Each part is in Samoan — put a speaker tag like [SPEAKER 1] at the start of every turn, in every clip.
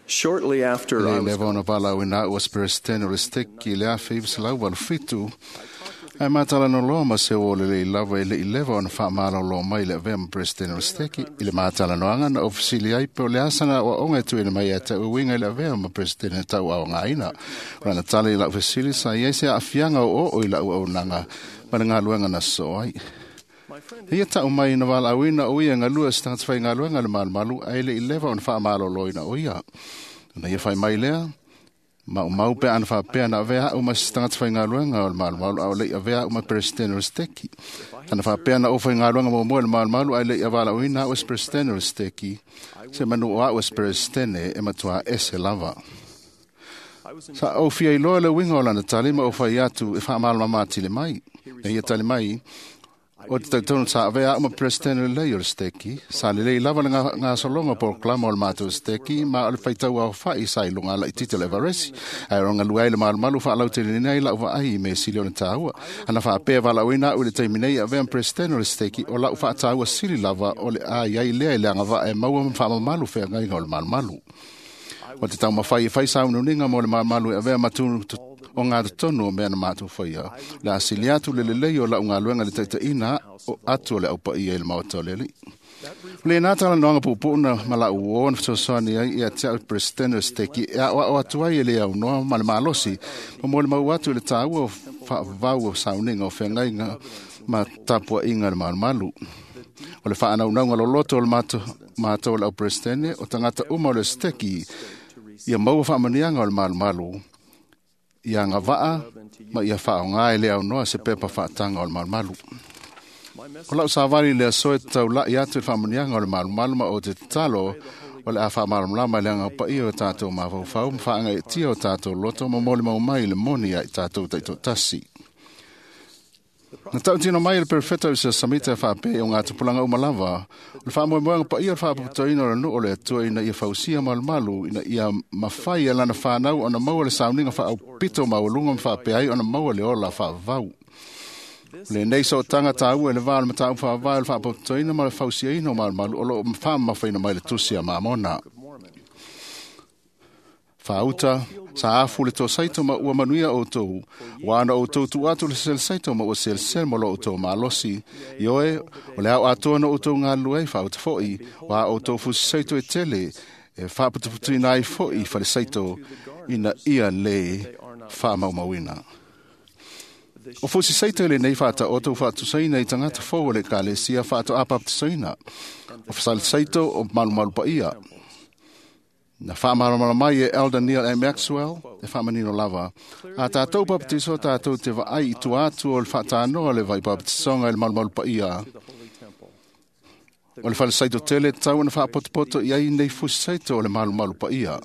[SPEAKER 1] Shortly after
[SPEAKER 2] Le
[SPEAKER 1] I was
[SPEAKER 2] leva ona valaauina a'u o se Peresetene o le Steki i le 1987, ae matalanoa ma se uo lelei lava e le'i leva ona faamalōlō mai i le avea ma Peresetene o le Steki. I le matalanoaga na ou fesili ai pe o le asa na aoaoga e tuuina mai ia te a'u e uiga i le avea ma Peresetene tauaogaina. O lana tala i la'u fesili sa i ai se aafiaga oooo i la'u auaunaga ma le galuega na sosoo ai. Ia ta'u mai na valaauina o ia e galue o se tagata faigaluega i le malumalu ae le'i leva ona faamalōlōina o ia. Ona ia fai mai lea, maumau pe ana faapea na avea a'u ma se tagata faigaluega o le malumalu a o le'i avea a'u ma Peresetene o le Steki. Ana faapea na ou faigaluega muamua i le malumalu ae le'i avalaauina a'u e se Peresetene o le Steki, se manu o a'u e se Peresetene e matuā ese lava. Sa ou fia iloa le uiga o lana tali ma ou fai atu e faamalamalama atili mai. Na ia tali mai, o te tautono sa avea a'u ma Peresetene lelei o le Steki, sa lelei lava le gasologa polokalama o le matou Steki, ma o le faitau aofa'i sa i luga laitiiti o le Everesi, ae o galue ai le malumalu faalauteleina ai la'u vaai i mea sili ona tāua. Ana faapea valaauina a'u i le taimi nei e avea ma Peresetene o le Steki, o la'u faataua sili lava o le a i ai lea i le agavaa e maua ma faamamalu feagaiga o le malumalu. O te taumafai e fai sauniuniga mo le malumalu e avea ma tunu o gatotonu o mea na matou faia. O le a sili atu le lelei o la'u galuega i le taitaʻina atu o le aupaia i le maota o le Alii. O lenā talanoaga puupuu na ma la'u uō na fesoasoani ai ia te a'u Peresetene o le Steki e a'oa'o atu ai e le aunoa ma le malosi ma molimau atu i le tāua o faavavau o sauniga o feagaiga ma tapuaʻiga i le malumalu. O le faanaunauga loloto o le matou o le au Peresetene o tagata uma o le Steki ia maua faamanuiaga o le malumalu, ia agavaa ma ia faaaogā e le aunoa se pepa faataga o le malumalu. O la'u savali i le aso e taula'i atu i le faamanuiaga o le malumalu ma ou te tatalo o le a faamalamalama i le agaga paia o tatou mafaufau ma faagaeetia o tatou loto ma molimau mai i le moni ia i tatou taitoatasi. Na tautino mai e le Perofeta o se Samita e faapea i o gatupulaga uma lava, o le faamoemoega paia o le faapotopotoina o le nuu o le Atua ina ia fausia malumalu, ina ia mafai e lana fanau ona maua le sauniga faaaupito maualuga ma faapea ai ona maua le ola faavavau. O lenei sootaga tāua i le va o le mataupu faavae o le faapotopotoina ma le fausiaina o malumalu o loo faamamafaina mai le Tusi a Mamona. Faauta, sa afu le tosaito ma ua manuia outou, ua ana outou tuu atu le selesaito ma ua selesele ma lo outou malosi. Ioe, o le ao atoa na outou galulue ai faauta fo'i, ua outou fusisaito e tele, e faaputuputuina ai fo'i falesaito ina ia lē faamaumauina. O fusisaito i lenei faataoto ua faatusaina i tagata fou o le Ekalesia faatoā papatisoina. O fasalesaito o malumalu paia. Na faamalamalama mai e Elder Neil A. Maxwell e faamanino lava. A tatou papatiso tatou te vaai i tua atu o le faatanoa o le vai papatisoga i le malumalu paia. O le falesaito tele tatau ona faapotopoto i ai nei fusisaito o le malumalu paia.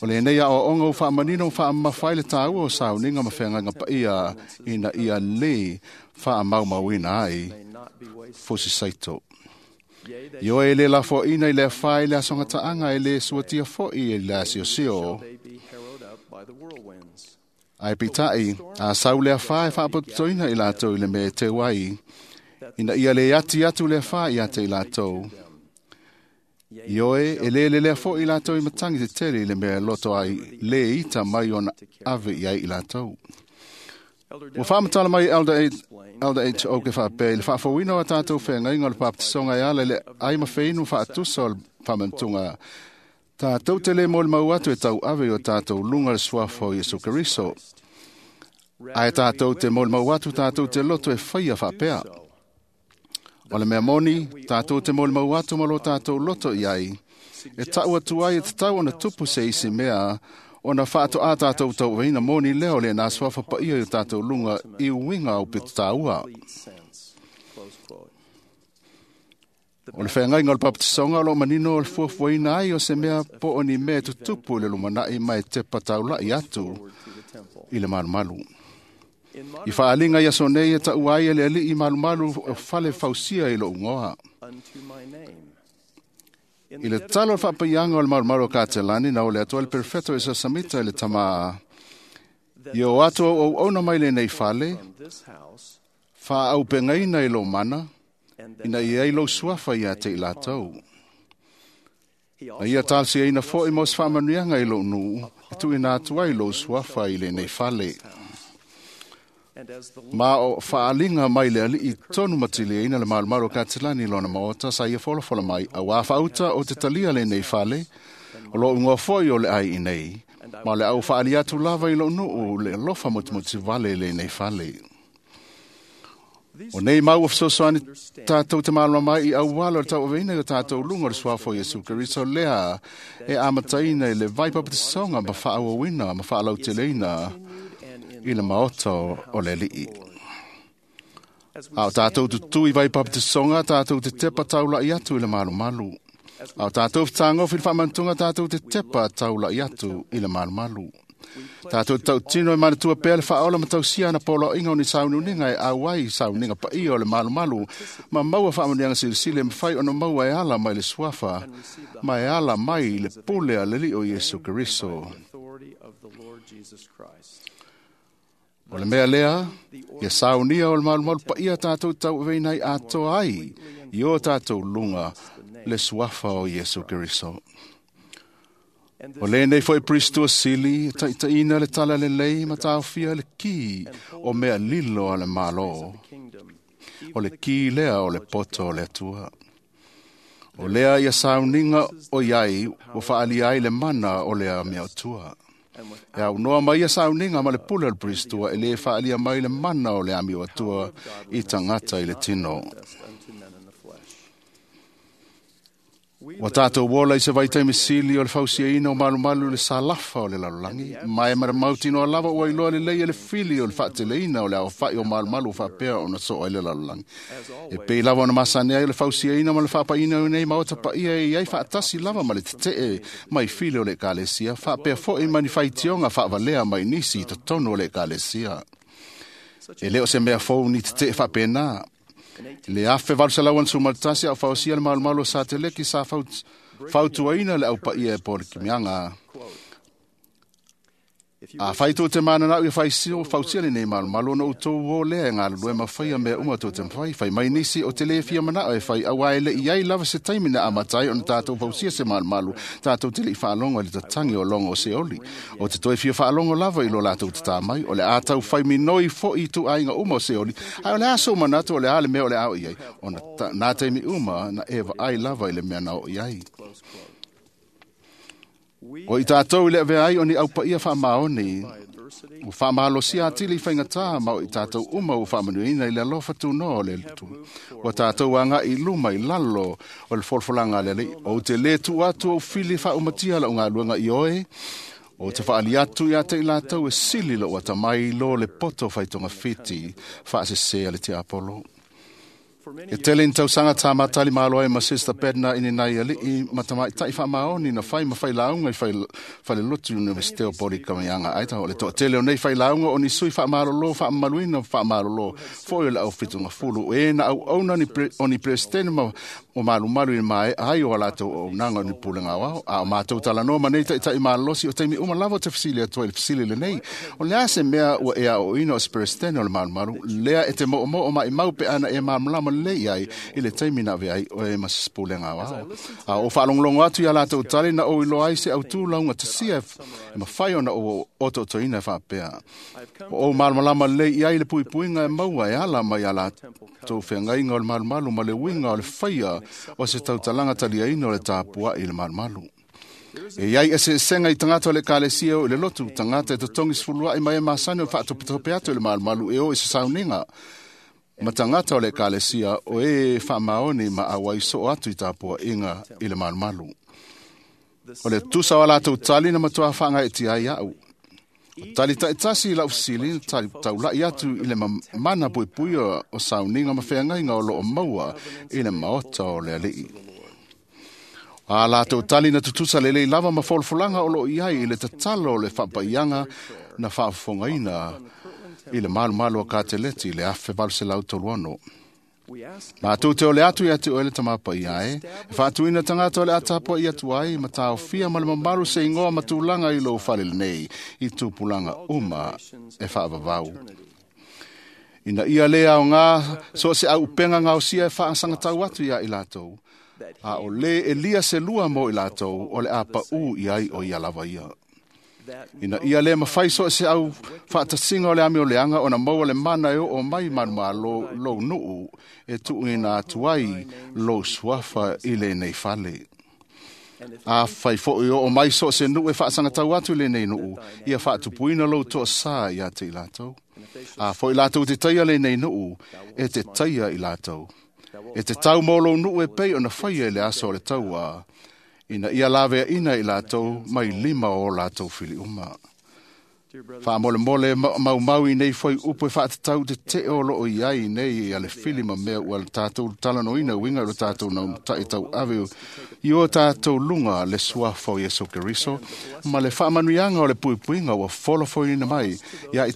[SPEAKER 2] O lenei aoaoga ua faamanino ma faamamafa ai le tāua o sauniga ma feagaiga paia ina ia lē faamaumauina ai fusisaito. Ioe e lē lafoaʻina i le afā i le asogataaga e lē suatia fo'i i le asiosio. Ae peitai, a sau le afā e faapotopotoina i latou i le mea e teu ai, ina ia lē ati atu le afā ia te i latou. Ioe, e lē lelea fo'i i latou i matagi tetele i le mea e loto ai lē ita mai ona ave i ai i latou. Ua faamatala mai Elder H. O ke faapea i le faafouina o a tatou feagaiga o le papatisoga e ala i le ai ma feinu faatusa o le faamanatuga. Tatou te lē molimau atu e tauave i o tatou luga le suafa o Iesu Keriso. Ae tatou te molimau atu tatou te loto e faia faapea. O le mea moni, tatou te molimau atu ma lo tatou loto i ai, e ta'u atu ai e tatau ona tupu se isi mea ona faatoā tatou tauaveina moni lea o lenā suafa paia i o tatou luga i uiga aupito tāua. O le feagaiga o le papatisoga o loo manino o le fuafuaina ai o se mea po o ni mea e tutupu i le lumana'i ma e tepa taula'i atu i le malumalu. I faaaliga i aso nei e taua ai e le Alii malumalu o fale fausia i lo'u igoa. I le tatalo o le faapaiaga o le malumalu o Katelani na ole atu ai le Perofeta o Iesu Samita i le tamā, ia o atu auauauna mai lenei fale, faaaupegaina i lou mana, ina ia ai lou suafa ia te i latou. Na ia talosiaina fo'i mo se faamanuiaga i lou nuu e tuuina atu ai lou suafa i lenei fale. Ma o faaaliga mai le alii tonu matiliaina le malumalu o Katilani i lona maota sa ia folafola mai, auā faauta o te talia lenei fale, o loo igoa foi o le ai i nei, ma o le au faaali atu lava i lou nuu le alofa motumotu vale i lenei fale. O nei mau ua fesoasoani tātou te malamalama ai i auala o le tauaveina i o tātou luga o le suafa o Iesu Keriso lea e amataina i le vai papatisoga ma faaauauina ma faalauteleina i le maota o le alii. A o tātou tutū i vai papatisoga, tātou te tepa taulai atu i le malumalu. A o tātou fetagofi i le faamanatuga, tātou te tepa taulai atu i le malumalu. Tātou te tautino e manatua pea le faaola ma tausia ana poloaiga o ni sauniuniga e auai sauniga paia o le malumalu ma maua faamanuiaga silisili e mafai ona maua e ala mai le suafa ma e ala mai le pule a le Alii o Iesu Keriso. O le mea lea, ia saunia o le malumalu paia tātou tauaveina ai atoa ai i o tātou luga le suafa o Iesu Keriso. O lenei foi Pristo sili, taitaiina le tala lelei ma taofia le ki o mea lilo a le malo. O le ki lea o le poto o le Atua. O lea ia sauniga o iai ua faalia ai le mana o le amio atua. E au noa mai ia sauniga ma le pule o le Pristo e le faalia mai le mana o le amio atua i tangata i le tino. Ua tātou ola i se vaitaimi sili o le fausiaina o malumalu le salafa o le lalolagi, ma e maramautinoa lava ua iloa lelei e le fili o le faateleina o le aofai o malumalu o faapea ona soo ai le lalolagi. E pei lava ona masani ai o le fausiaina ma le faapaina o nei maota paia e iai faatasi lava ma le tetee mai fili o le ekalesia, faapea foi ma ni faitioga faavalea mai nisi i totonu o le ekalesia. E le o se mea fou ni tetee faapena. Le afe 1861 au fausia le malumalu o Sateleki sa fautuaina le aupaia e po le kimiaga. A whai tō te mananau i fausia le nei malumalu ona utou o lea e ngā lue mawhai a mea uma tō te mawhai. Whai mai nisi o te le fia manao e whai awa e le iai lava se taimi na amatai ona tātou fausia se malumalu. Tātou te le i whaalongo i le tatangi o longo o se oli. O te toi fia whaalongo lava i lo lātou te tā mai. O le ātau whai minoi fo i tu ainga uma o se oli. Ai o le aso manatu o le ale mea o le ao iai. O nā taimi uma na ewa ai lava i le mea na o iai. O i tātou i le avea ai o ni aupaia whaamaoni, o whaamalosia atili whaingatā ma o i tātou uma o whaamanuina i le alofa tūnoa o le tu. O tātou anga i luma i lalo o le folfolanga le alii. O te le tu atu o fili whaumatia la o ngā luenga i oe, o te whaali atu i ate i lātou e sili lo atamai lo le poto whaitonga whiti whaasesea le te Apollo. E tele ni tausaga tā matali malo ai ma Sister Bednar i nei alii ma tamaitai faamaoni na fai ma failauga i falelotu Universite o Polikamiaga Idaho. O le toatele o nei failauga o ni sui faamalolo faamamaluina faamalolo foi o le aufitugafulu e na auauna o ni peresetene ma o malumalu i le mae'a ai o a latou auaunaga o ni pulega aoao. A o matou talanoa ma nei taʻitaʻi malolosi o taimi uma lava o te fesili atu ai le fesili lenei. O le a se mea ua e aoaoina o se peresetene o le malumalu lea e te moomoo maʻimau pe ana e malamalama lelei ai i le taimi na avea ai oe ma se pulega aoao. A o faalogologo atu iā latou tali na ou iloa ai se autū lauga tasia e mafai ona ou otootoina e faapea. O ou malamalama lelei i ai le puipuiga e maua e ala mai iā latou feagaiga o le malumalu ma le uiga o le faia o se tautalaga taliaina o le tapuaʻi i le malumalu. E iai eseesega i tagata o le ekalesia o i le lotu, tagata e totogi sefuluaʻi mai e masani o faatopetope atu i le malumalu e o i se sauniga. Ma tagata o le ekalesia o e faamaoni ma auai soo atu i tapuaʻiga i le malumalu. O le tusa o a latou tali na matuā faagaeʻetia ai aʻu. O tali taʻitasi i lau fesili na taulaʻi atu i le mana puipui o sauniga ma feagaiga o loo maua i le maota o le alii. A latou tali na tutusa lelei lava ma folafolaga o loo iai i le tatalo o le faapaiaga na faafofogaina i le malumalu o Kateleti i le 1836. Matou te ole atu ia te oe le tamapaia e, e faatuina tagata o le atapua i atu ai, ma taofia ma le mamalu se igoa ma tulaga i lou fale lenei, i tupulaga uma e faavavau. Ina ia le aogā, so o se auupega gaosia e faasagatau atu iā i latou. A o le elia se lua mo i latou o le a pa'ū i ai o ia lava ia. Ina ia le mafai so o se au faatasiga o le amioleaga ona maua le mana e oo mai manumalo lou nuu e tuuina atu ai lou suafa i lenei fale. A fai foʻi oo mai so o se nuu e faasagatau atu i lenei nuu, ia faatupuina lou toasā ia te i latou. A foi latou te taia lenei nuu, e te taia i latou. E te tau mo lou nuu e pei ona faia i le aso o le tauā, ina ia laveaina i latou mai lima o latou filiuma. Faamolemole maumau i nei foi upu e faatatau te tee o loo i ai nei ia le fili ma mea ua tatou talanoaina uiga i lo tatou nautaʻi tauave i o tatou luga le suafa o Iesu Keriso ma le faamanuiaga o le puipuiga ua folafoina mai ia i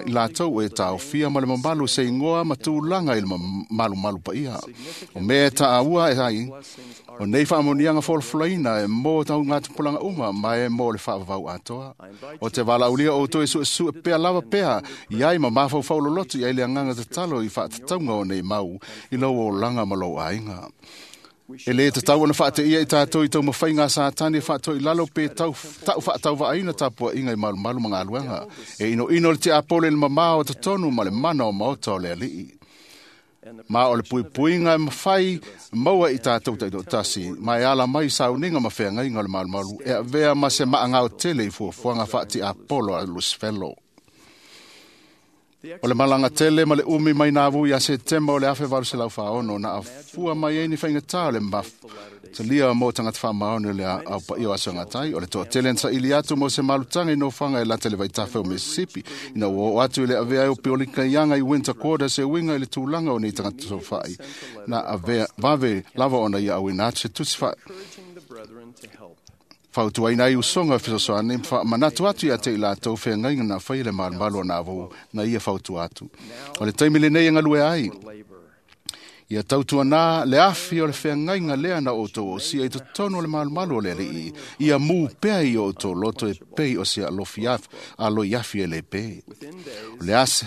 [SPEAKER 2] latou e taofia ma le mamalu se igoa ma tulaga i le malumalu paia. O mea e taaua e ai o nei faamanuiaga folafolaina e mo taugatupulaga uma ma e mo le faavavau atoa. O te valaaulia outou e suesue pea lava pea i ai ma mafaufau loloto i ai le agaga tatalo i faatatauga o nei mau i lou olaga ma lou aiga. E lē tatau ona faateia i tatou i taumafaiga a Satani e faatoilalo pe taʻu faatauvaaina tapuaʻiga i malumalu ma galuega. E inoino le tiapolo i le mamā o totonu ma le mana o maota o le alii. Ma o le puipuiga e mafai maua i tatou taitoatasi ma e ala mai sauniga ma feagaiga o le malumalu e avea ma se maagao tele i fuafuaga faatiapolo a Lusifelo. O le malaga tele ma le umi mai nāvu ia Setema o le 1846 na afua mai ai ni faigata o le mafutalia mo tagata faamaoni o le aupaia o Aso Gatai. O le toatele na saili atu mo se malutaga i nofoaga e lata i le vaitafe o Mississippi ina ua oo atu i le avea ai o piolika iaga i Winter Quarters e uiga i le tulaga o nei tagata sofaʻi na avea vave lava ona ia auina atu se tusi fautuaina ai usoga fesoasoani ma faamanatu atu ia te i latou feagaiga na faia le malumalu o nāvou na ia fautua atu. O le taimi lenei e galue ai, ia tautuanā le afi o le feagaiga lea na outou osia i totonu o le malumalu o le alii, ia mū pea i o outou loto e pei o se aloi afi e le pē. O le ase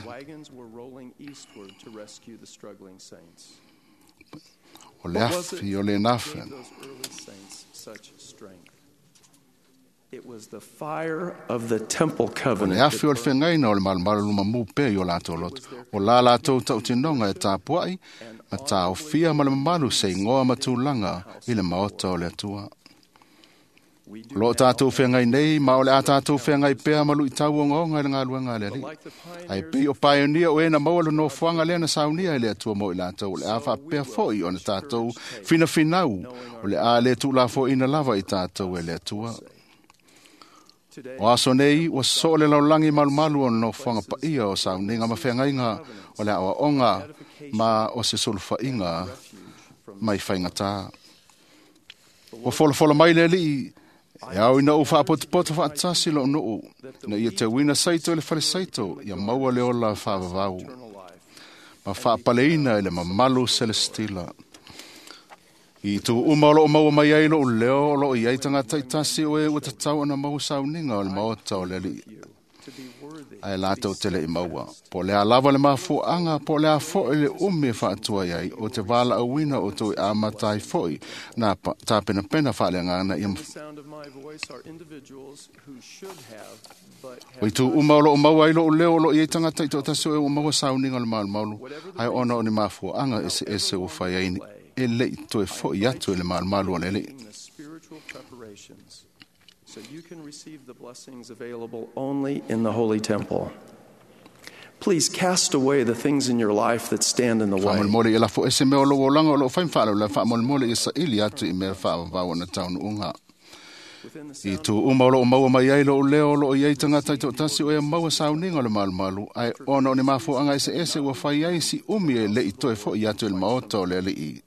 [SPEAKER 2] o le afi o le nafe.
[SPEAKER 1] It was the fire of the temple
[SPEAKER 2] O le
[SPEAKER 1] covenant.
[SPEAKER 2] afi o le feagaina o le malumalu luma mū pea i o latou loto. O la latou tautinoga e tapuai, ma taofia ma le mamalu se igoa ma tulaga i le maota o le Atua. O loo tatou feagai nei, ma o le a tatou feagai pea ma luitau ogaoga i le galuega a le Alii. Ae pei o paionia o e na maua le nofoaga lea na saunia e le Atua mo i latou, o le a faapea foi ona tatou finafinau, o le a le tuulafoaina lava i tatou e le Atua. O aso nei, ua soo le laulagi malumalu o le nofoaga paia o sauniga ma feagaiga o le aoaoga ma o se sulufaiga mai faigatā. Ua folafola mai le alii, e ao ina ou faapotopoto faatasi lou nuu, na ia teuina saito i le falesaito, ia maua le ola faavavau, ma faapaleina i le mamalu selestila. I tu uma o loo maua mai ai lou leo o loo i ai tagata itasi o e ua tatau ona maua sauniga o le maota o le alii. Ae latou te le i maua. Po o le a lava le mafuaaga, po o le a foʻi le umi e faatua i ai, o te valaauina o outou e amata ai foʻi na tapenapena faaleagaga ia
[SPEAKER 1] The sound of my voice are individuals who should have but
[SPEAKER 2] O
[SPEAKER 1] have
[SPEAKER 2] i tu uma o loo maua ai lou leo o loo i ai tagata itoatasi o e ua maua sauniga o le malumalu, ae ona o ni mafuaaga eseese ua fai ai e lei toe foʻi atu i le malumalu o le alii.
[SPEAKER 1] making the spiritual preparations so you can receive the blessings available only in the holy temple. Please cast away the things in your life that stand in the way.
[SPEAKER 2] Faamolemole ia lafo ese mea o lou olaga o loo fai ma faalavelave, faamolemole ia saili atu i mea faavavau ona taunuuga.
[SPEAKER 1] Within the
[SPEAKER 2] I
[SPEAKER 1] sound
[SPEAKER 2] tu uma o loo maua mai ai lou leo o loo i ai tagata itoatasi o e maua sauniga o le malumalu, ae ona o ni mafuaaga eseese ua fai ai si umi e lei toe foʻi atu i le maota o le alii.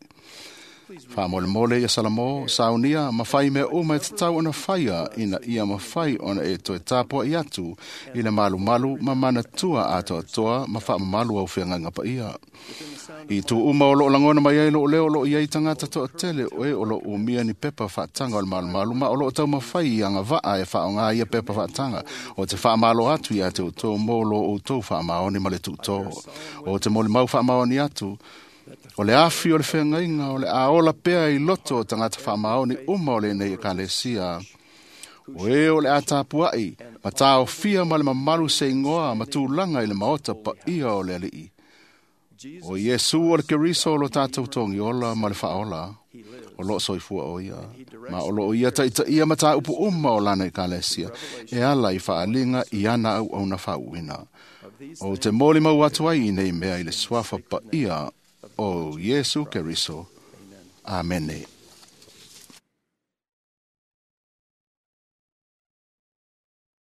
[SPEAKER 2] Faamolemole ia Salamo, saunia ma fai mea uma e tatau ona faia ina ia mafai ona e toe tapuaʻi atu i le malumalu ma manatua atoatoa ma faamamalu au feagaiga paia. I tu uma o loo lagona mai ai lou leo o loo i ai tagata toatele o e o loo umia ni pepa faataga o le malumalu ma o loo taumafai i agavaa e faaaogā ia pepa faataga o te faamalo atu ia te outou mo lo outou faamaoni ma le tuutō. O te molimau faamaoni atu O le afi o le feagaiga o le a ola pea i loto o tagata faamaoni uma o lenei ekalesia. O e o le a tapuai, ma taofia ma le mamalu se igoa ma tulaga i le maota paia o le Alii. O Iesu o le Keriso o lo tātou togiola ma le faaola, o loo soifua o ia, ma o loo ia taitaia ma tāupu uma o lana ekalesia, e ala i faaliga i ana auauna faauuina. O te moli mau atu ai i nei mea i le suafa paia o Iesu Keriso. Amene.